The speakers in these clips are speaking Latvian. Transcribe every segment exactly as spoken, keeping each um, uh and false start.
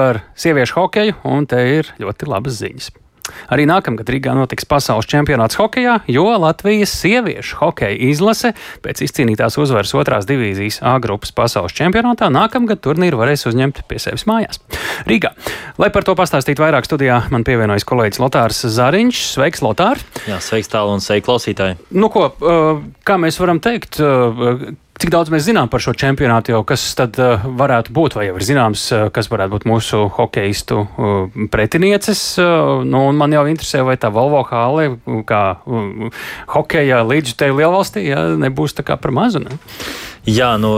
Par sieviešu hokeju, un te ir ļoti labas ziņas. Arī nākamgad Rīgā notiks pasaules čempionāts hokejā, jo Latvijas sieviešu hokeja izlase pēc izcīnītās uzvaras otrās divīzijas A grupas pasaules čempionātā nākamgad turnīru varēs uzņemt pie sevis mājās. Rīgā. Lai par to pastāstītu vairāk, studijā man pievienojas kolēģis Lotārs Zariņš. Sveiks, Lotār! Jā, sveiks tālu un sveiki klausītāji! Nu ko, kā mēs varam teikt, cik daudz mēs zinām par šo čempionātu, jau kas tad uh, varētu būt, vai jau ir zināms, uh, kas varētu būt mūsu hokeistu uh, pretinieces? Uh, nu, un man jau interesē, vai tā Volvo hāle, kā uh, hokeja līdzjutēju lielvalstī, ja, nebūs tā kā par mazu, ne? Jā, nu,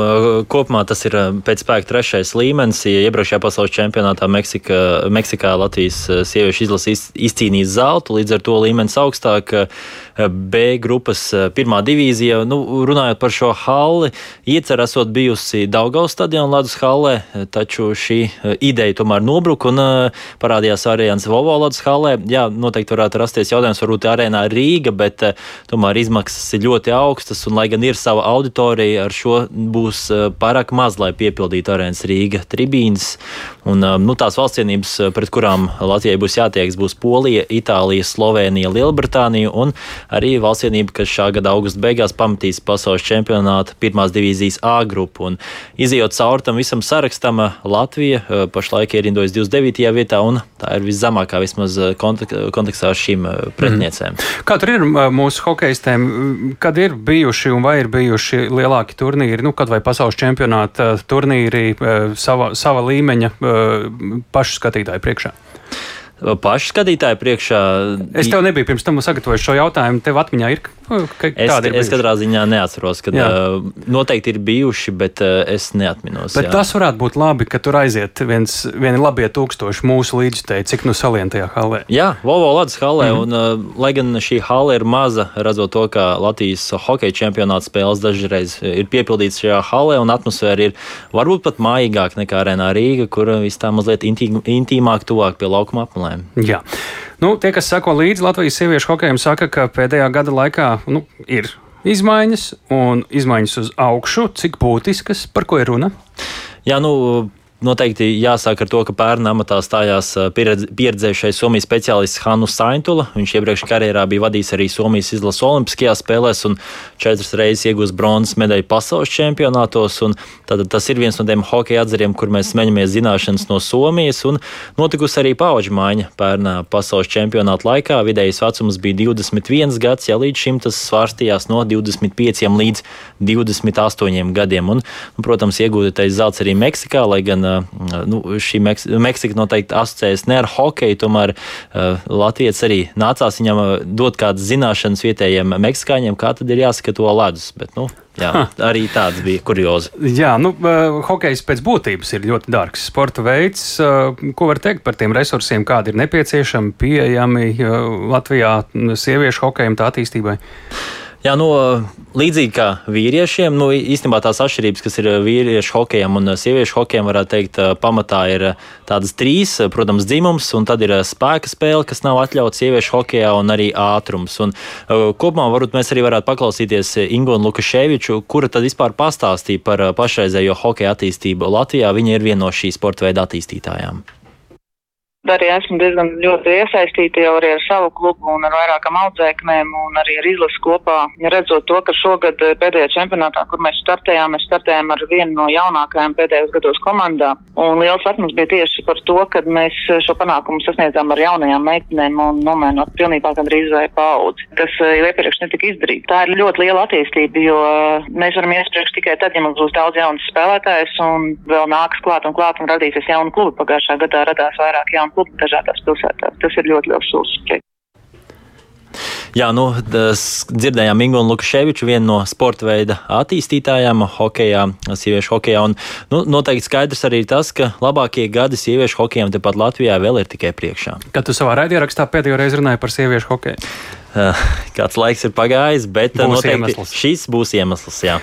kopumā tas ir pēc spēka trešais līmenis. Ja iepriekšējā pasaules čempionātā Meksika, Meksikā Latvijas sieviešu izlase izcīnīja zeltu, līdz ar to līmenis augstāk. B grupas pirmā divīzija. Nu, runājot par šo halli, iecer esot bijusi Daugavas stadiona ledus hallē, taču šī ideja tomēr nobruka un parādījās variants Volvo ledus hallē. Jā, noteikti varētu rasties jautājums, varbūt arēnā Rīga, bet tomēr izmaksas ir ļoti augstas, un lai gan ir sava auditorija, ar šo būs pārāk maz, lai piepildītu arēnas Rīga tribīnes. Un, nu, tās valstsienības, pret kurām Latvijai būs jātieks, būs Polija, Itālija, Slovēnija, Lielbritānija un arī valstsienība, kas šā gada augusta beigās pamatīs pasaules čempionāta pirmās divīzijas A grupu. Un izejot cauri tam visam sarakstam, Latvija pašlaik ierindojas divdesmit devītajā vietā, un tā ir viszemākā vismaz kontekstā ar šīm pretiniecēm. Mm. Kā tur ir mūsu hokeistēm, kad ir bijuši un vai ir bijuši lielāki turnīri, nu, kad vai pasaules čempionāta turnīri sava, sava līmeņa pašu skatītāju priekšā? Pašu skatītāju priekšā. Es tev nebiju pirms tam sagatavojis šo jautājumu. Tev atmiņā ir, ka es, tādi ir es katrā ziņā neatceros, kad jā. Noteikti ir bijuši, bet es neatminos. Bet jā. Tas varētu būt labi, ka tur aiziet viens, vieni labie tūkstoši mūsu līdzjutēji, cik nu salien tajā hallē. Jā, Volvo ledus hallē, Mm-hmm. un uh, lai gan šī halle ir maza, redzot to, ka Latvijas hokeja čempionāta spēles dažreiz ir piepildīts šajā hallē, un atmosfēra ir varbūt pat mājīgāk nekā arēnā Rīga, kur viss tā mazliet intīm, intīmāk, tuvāk pie laukuma apmelēm. Jā. Nu, tie, kas sako līdzi Latvijas sieviešu hokejam, saka, ka pēdējā gada laikā nu, ir izmaiņas un izmaiņas uz augšu. Cik būtiskas, par ko ir runa? Jā, nu, noteikti jāsāk ar to, ka pērn amatā stājās pieredzējušais Somijas speciālists Hannu Saintula. Viņš iepriekš karjerā bija vadījis arī Somijas izlases olimpiskajās spēlēs un četras reizes iegūst bronzas medaļu pasaules čempionātos. Un tad tas ir viens no tiem hokeja atzariem, kur mēs smeņamies zināšanas no Somijas. Un notikusi arī paudžu maiņa pērnā pasaules čempionāta laikā. Vidējais vecums bija divdesmit viens gads, ja līdz šim tas svārstījās no divdesmit pieciem līdz divdesmit astoņiem gadiem. Un, un protams, iegūtais zelts arī Meksikā, lai gan Nu, šī Meks Meksika noteikti asociējas ne ar hokeju, tomēr uh, Latvijas arī nācās viņam dot kādas zināšanas vietējiem meksikāņiem, kā tad ir jāsaka to ledus, bet, nu, jā, arī tāds bija kuriozi. Jā, nu, uh, hokejs pēc būtības ir ļoti dārgs sporta veids. Uh, ko var teikt par tiem resursiem, kādi ir nepieciešami, pieejami uh, Latvijā sieviešu hokejam tā attīstībai? Jā, nu, līdzīgi kā vīriešiem, nu, īstenībā tās atšķirības, kas ir vīriešu hokejam un sieviešu hokejam, varētu teikt, pamatā ir tādas trīs, protams, dzimums, un tad ir spēka spēle, kas nav atļauts sieviešu hokejā, un arī ātrums. Un kopumā varbūt mēs arī varētu paklausīties Ingonu Lukaševiču, kura tad vispār pastāstīja par pašreizējo hokeja attīstību Latvijā. Viņa ir viena no šī sporta veida attīstītājām. Arī esmu diezgan ļoti iesaistīta jau arī ar savu klubu un ar vairākām audzēknēm un arī ar izlasi kopā. Redzot to, ka šogad pēdējā čempionātā, kur mēs startējām, mēs startējām ar vienu no jaunākajām pēdējos gados komandā. Un liels lepnums bija tieši par to, kad mēs šo panākumu sasniedzām ar jaunajām meitenēm un nomainot pilnībā gandrīz vai paudzi, kas jau iepriekš netika izdarīt. Tā ir ļoti liela attīstība, jo mēs varam iespriekš tikai tad, ja mums būs daudz jaunas spēlētājas un vēl nāks klāt un klāt un radīsies jaunu klubu. Pagājušā gadā radās vairāk jaunu klubu dažādās pilsētās. Tas ir ļoti liels solis. Jā, nu, dzirdējām Ingonu Lukaševiču, vienu no sporta veida attīstītājām hokejā, sieviešu hokejā. Un, nu, noteikti skaidrs arī tas, ka labākie gadi sieviešu hokejam tepat Latvijā vēl ir tikai priekšā. Kad tu savā raidierakstā pēdējo reizi runāji par sieviešu hokeju? Kāds laiks ir pagājis, bet būs noteikti iemesls. Šis būs iemesls, jā.